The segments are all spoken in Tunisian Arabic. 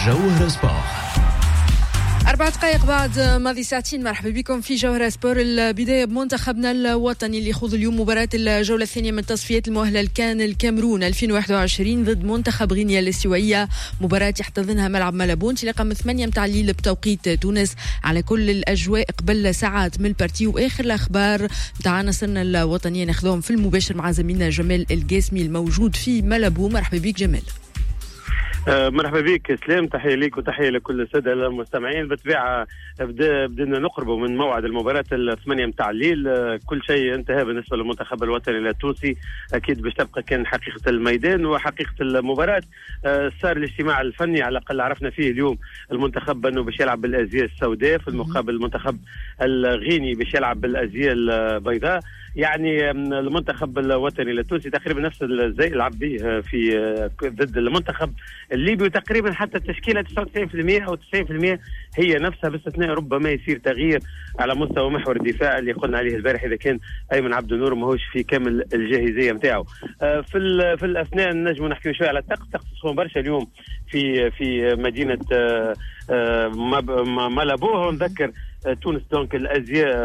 جوهرة سبور. 4 دقائق بعد ماضي ساعتين، مرحبا بكم في جوهرة سبور. البداية بمنتخبنا الوطني اللي يخوض اليوم مباراة الجولة الثانية من تصفيات المؤهلة لكان الكاميرون 2021 ضد منتخب غينيا الاستوائية، مباراة يحتضنها ملعب مالابو انطلاقا من 8 متاع الليل بتوقيت تونس. على كل الأجواء قبل ساعات من ال partie وآخر الأخبار متاع عناصرنا الوطنية ناخذهم في المباشر مع زميلنا جمال القاسمي الموجود في مالابو. مرحبا بك جمال. مرحبا بك اسلام، تحية لك وتحية لكل السادة المستمعين. بالطبيعة بدنا نقربوا من موعد المباراة 8 متاع الليل. كل شيء انتهى بالنسبة للمنتخب الوطني التونسي، اكيد باش تبقى كان حقيقة الميدان وحقيقة المباراه. صار الاجتماع الفني، على الاقل عرفنا فيه اليوم المنتخب انه باش يلعب بالازياء السوداء، في المقابل المنتخب الغيني باش يلعب بالازياء البيضاء. يعني المنتخب الوطني التونسي تقريبا نفس الزي لعب به في ضد المنتخب الليبي، وتقريبا حتى التشكيلة 99% او 90% هي نفسها، باستثناء ربما يصير تغيير على مستوى محور الدفاع اللي قلنا عليه البارح اذا كان ايمن عبد النور ماهوش في كامل الجاهزيه نتاعو. في الاثناء نجم نحكي شوية على الطقس. الطقس سخون برشا اليوم في مدينة مالابو. نذكر تونس donc الازياء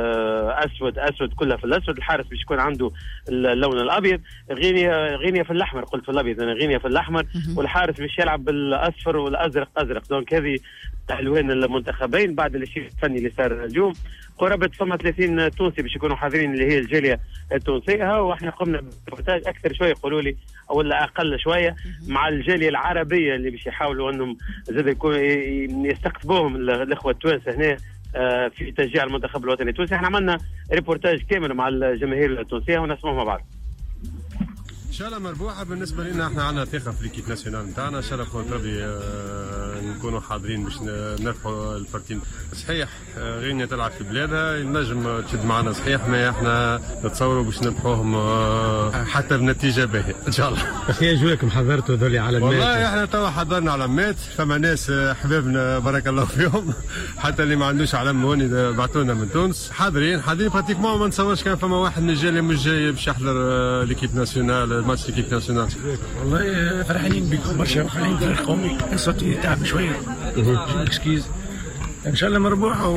اسود اسود، كلها في الاسود، الحارس باش يكون عنده اللون الابيض. غينيا، غينيا في الاحمر، قلت في الابيض انا، غينيا في الاحمر والحارس باش يلعب بالاصفر والازرق ازرق. donc هذه الوان المنتخبين. بعد الشيء الفني اللي صار اليوم، قرابة فما 30 تونسي باش يكونوا حاضرين، اللي هي الجالية التونسيه، واحنا قمنا بروتاج اكثر شوية يقولوا لي ولا اقل شوية مع الجالية العربية اللي باش يحاولوا انهم زاد يكون يستقطبوهم الاخوة التوانسة هنا في تشجيع المنتخب الوطني التونسي. احنا عملنا ريبورتاج كامل مع الجماهير التونسية ونسمعه مع بعض. ان شاء الله مربوحه. بالنسبة لنا احنا عندنا ثقة في l'équipe nationale نتاعنا، ان شاء الله بقدرة ربي نكونوا حاضرين باش نربحوا ال partie. صحيح غينيا تلعب في بلادها، نجم تشد معنا صحيح، ما احنا نتصوروا باش نربحوهم حتى بنتيجة باهيه ان شاء الله. في اجواكم حضرتوا ذولي على والله احنا توا حضرنا علامات، فما ناس حبابنا بارك الله فيهم، حتى اللي ما عندوش علم هوني بعثوا لنا من تونس. حاضرين حاضرين pratiquement، ما نتصورش كان فما واحد من الجالية مش جاي باش يحضر l'équipe nationale، match l'équipe nationale. والله فرحانين بكم برشا، فرحانين فريق قومي. صوتي تعب شويه، excuse. ان شاء الله مربوحه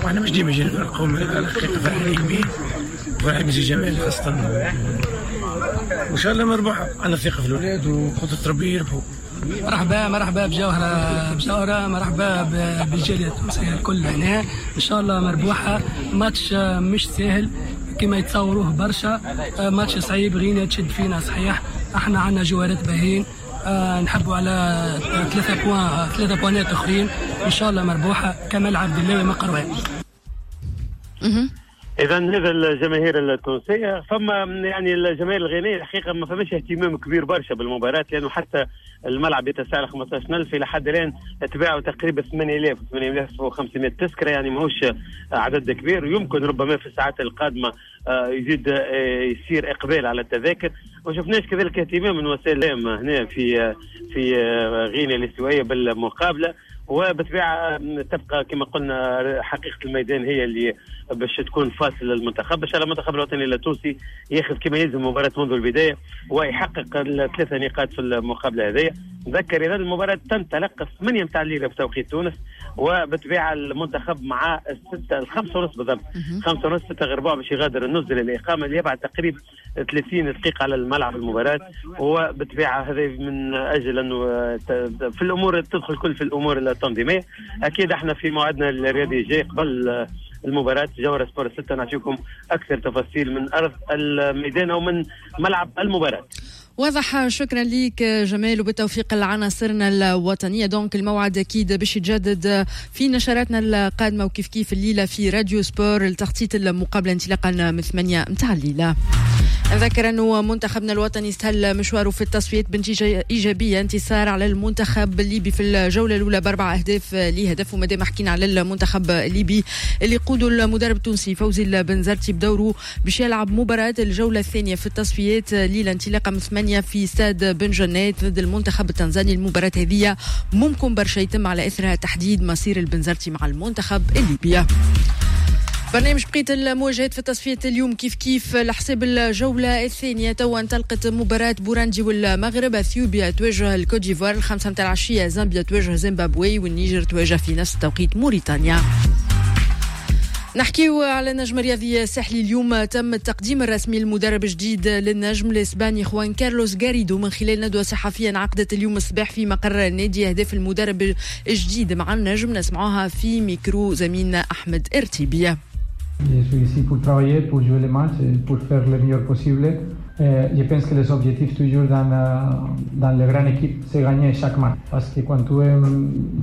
واحنا مش ديما جينا فريق قومي، الحقيقة فرحانين به، فرحانين بسي جمال خاصه، وان شاء الله مربوحه. عندنا ثقة في الاولاد وقدره ربي يربحوا. مرحبا مرحبا بجوهرة بجوهرة، مرحبا بالجالية التونسية الكل هنا. إن شاء الله مربوحة. ماتش مش سهل كما يتصوروه برشا، ماتش صعيب، غينيا تشد فينا صحيح. احنا عندنا جوارات باهين، نحبوا على 3 points، 3 بوانات اخرين. ان شاء الله مربوحه. كمال عبد الله من قروان. اذا هذا الجماهير التونسيه. فما يعني الجماهير الغينيه الحقيقة ما فماش اهتمام كبير برشا بالمباراه، لانه حتى الملعب يتسع ل 15000، الى حد الان تباعوا تقريبا 8000، 8500 تذكره، يعني ماهوش عدد كبير. ويمكن ربما في الساعات القادمة يزيد يصير اقبال على التذاكر. ما شفناش كذلك اهتمام من وسائل الاعلام هنا في غينيا الاستوائيه بالمقابله. وبالطبيعه تبقى كما قلنا حقيقة الميدان هي اللي باش تكون فاصل للمنتخب. باش المنتخب الوطني التونسي ياخذ كما يلزم المباراة منذ البداية ويحقق الثلاثة نقاط في المقابلة هذه. نذكر اذا المباراة تنطلق 8 متاع الليل بتوقيت تونس، وبالطبيعه المنتخب مع 6، 5:30 بالضبط، 4:30، 5:45 باش يغادر النزل الاقامة اللي يبعد تقريبا 30 دقيقة على الملعب المباراه. وبالطبيعه هذا من اجل انه في الامور تدخل كل في الامور التنظيميه. اكيد احنا في موعدنا الرياضي الجاي قبل المباراة جوهرة سبور 6 نعطيكم أكثر تفاصيل من أرض الميدان أو من ملعب المباراة. واضح، شكرا لك جمال وبالتوفيق لعناصرنا الوطنية. donc الموعد أكيد باش يتجدد في نشراتنا القادمة، وكيف كيف الليلة في راديو سبور لتغطية المقابلة انطلاقا من 8 متاع الليلة. نذكر أنه منتخبنا الوطني استهل مشواره في التصفيات بنتيجة إيجابية، انتصار على المنتخب الليبي في الجولة الأولى ب4 أهداف لهدف. ومادام حكينا على المنتخب الليبي اللي يقوده المدرب التونسي فوزي البنزرتي، بدوره باش يلعب مباراة الجولة الثانية في التصفيات ليلة انطلاقا من 8 في استاد بن جنات ضد المنتخب التنزاني. المباراة هذه ممكن برشا يتم على إثرها تحديد مصير البنزرتي مع المنتخب الليبي. برنامج بقية المواجهات في التصفية اليوم كيف كيف لحساب الجولة الثانية. توا انطلقت مباراة بوراندي والمغرب، اثيوبيا تواجه الكوت ديفوار 5 متاع العشية، زامبيا تواجه زيمبابوي، والنيجر تواجه في نفس التوقيت موريتانيا. نحكيو على النجم الرياضي الساحلي. اليوم تم التقديم الرسمي للمدرب الجديد للنجم الاسباني خوان كارلوس غاريدو من خلال ندوة صحفية انعقدت اليوم الصباح في مقر النادي. أهداف المدرب الجديد مع النجم نسمعوها في ميكرو زميلنا أحمد ارتيبية. Je suis ici pour travailler, pour jouer les matchs, et pour faire le meilleur possible. Je pense que les objectifs toujours dans les grandes équipes, c'est gagner chaque match. Parce que quand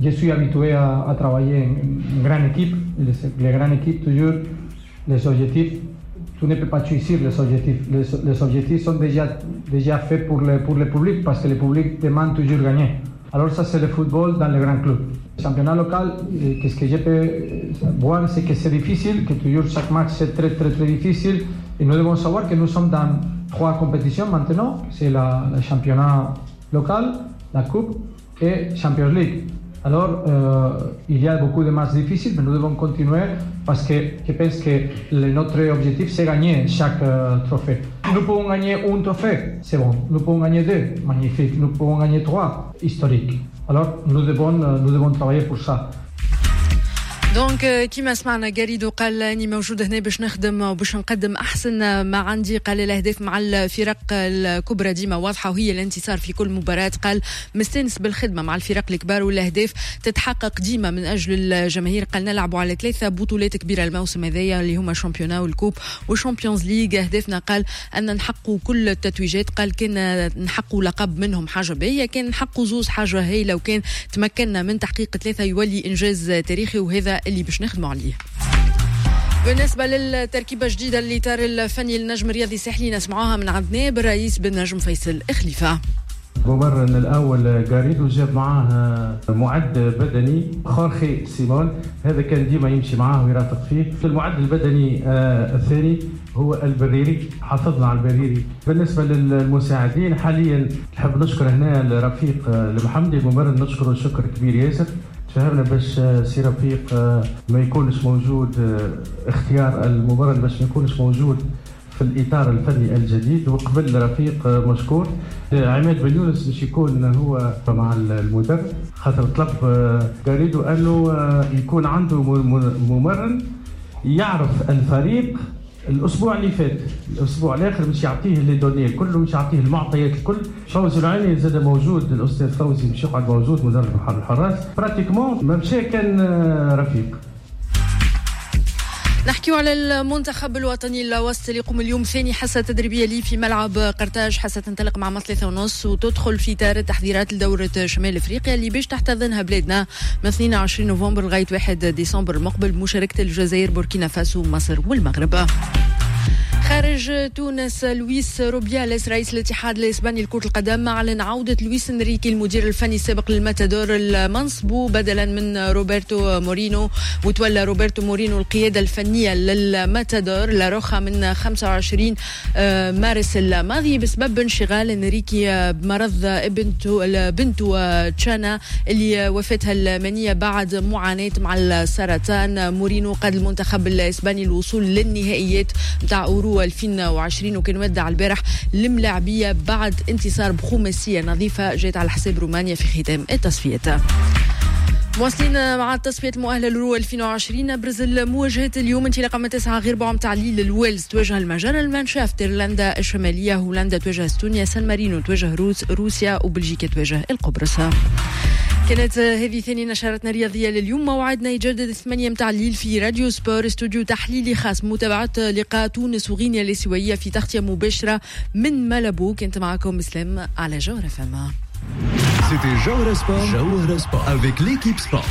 je suis habitué à travailler en grande équipe, les grandes équipes toujours, les objectifs, tu ne peux pas choisir les objectifs. Les objectifs sont déjà faits pour le public, parce que le public demande toujours gagner. Alors ça, c'est le football dans les grands clubs. Le championnat local, qu'est-ce que je peux voir, c'est que c'est difficile, que toujours chaque match c'est très très très difficile. Et nous devons savoir que nous sommes dans 3 compétitions maintenant, c'est le championnat local, la Coupe et Champions League. Alors, il y a beaucoup de matchs difficiles, mais nous devons continuer parce que je pense que notre objectif, c'est gagner chaque trophée. Nous pouvons gagner un trophée, c'est bon. Nous pouvons gagner 2, magnifique. Nous pouvons gagner 3, historique. Alors, nous devons travailler pour ça. donc كيما سمعنا غاريدو قال اني موجود هنا باش نخدم وباش نقدم احسن ما عندي. قال الاهداف مع الفرق الكبرى ديما واضحة وهي الانتصار في كل مباراة. قال مستانس بالخدمة مع الفرق الكبار والاهداف تتحقق ديما من اجل الجماهير. قال نلعبوا على 3 بطولات كبيرة الموسم هذايا اللي هما championnat وال coupe وال Champions League. اهدافنا قال ان نحققوا كل التتويجات. قال كان نحققوا لقب منهم حاجة باهيه، كان نحققوا 2 حاجة هايلة، وكان تمكنا من تحقيق 3 يولي انجاز تاريخي، وهذا اللي باش نخدموا عليه. بالنسبة للتركيبة الجديدة للإطار الفني للنجم الرياضي الساحلي نسمعوها من عند نائب الرئيس بالنجم فيصل خليفة. الممرن الأول غاريدو جاب معاه معد بدني خورخي سيمون، هذا كان ديما يمشي معاه ويرافق فيه. المعد البدني الثاني هو البريري، حافظنا على البريري. بالنسبة للمساعدين حاليا نحب نشكر هنا الرفيق المحمدي الممرن، نشكره شكر كبير ياسر. تفهمنا باش سي رفيق ما يكونش موجود، اختيار الممرن باش ما يكونش موجود في الإطار الفني الجديد، وقبل رفيق مشكور. عماد بن يونس باش يكون هو مع المدرب، خاطر طلب غاريدو أنه يكون عنده ممرن يعرف الفريق الاسبوع اللي فات، الاسبوع الاخر باش يعطيه les données الكل، باش يعطيه المعطيات الكل. فوزي العيني زاد موجود، الاستاذ فوزي باش يقعد موجود مدرب الحراس. pratiquement ما مشى كان رفيق. نحكيو على المنتخب الوطني الوسط اللي يقوم اليوم ثاني حصة تدريبية لي في ملعب قرطاج. حصة تنطلق مع 3:30 وتدخل في إطار التحضيرات لدورة شمال افريقيا اللي باش تحتضنها بلادنا من 22 نوفمبر لغاية 1 ديسمبر المقبل بمشاركة الجزائر، بوركينا فاسو، مصر والمغرب. خارج تونس، لويس روبياليس رئيس الاتحاد الاسباني لكرة القدم اعلن عودة لويس انريكي المدير الفني السابق للماتادور المنصب بدلا من روبرتو مورينو، وتولى روبرتو مورينو القيادة الفنية للماتادور لاروخا من 25 مارس الماضي بسبب انشغال انريكي بمرض بنته تشانا اللي وفاتها المنية بعد معاناة مع السرطان. مورينو قاد المنتخب الاسباني الوصول للنهائيات نتاع أورو 2020 وكان ودع البارح الملاعبية بعد انتصار بخماسية نظيفة جات على حساب رومانيا في ختام التصفيات. مواصلين مع التصفية المؤهلة للأورو 2020. أبرز المواجهات اليوم انطلاقا من 8:45 متاع الليل، الويلز تواجه المجر، المانشافت إيرلندا الشمالية، هولندا تواجه استونيا، سان مارينو تواجه روسيا، وبلجيكا تواجه القبرص. كانت هذه ثاني نشرتنا الرياضية لليوم. موعدنا يجدد 8 متاع الليل في راديو سبور، استوديو تحليلي خاص متابعة لقاء تونس وغينيا الاسيوية في تغطية مباشرة من مالابو. كنت معكم اسلام على جوهرة فما. C'était Jawhara Sport, Jawhara Sport avec l'équipe Sport.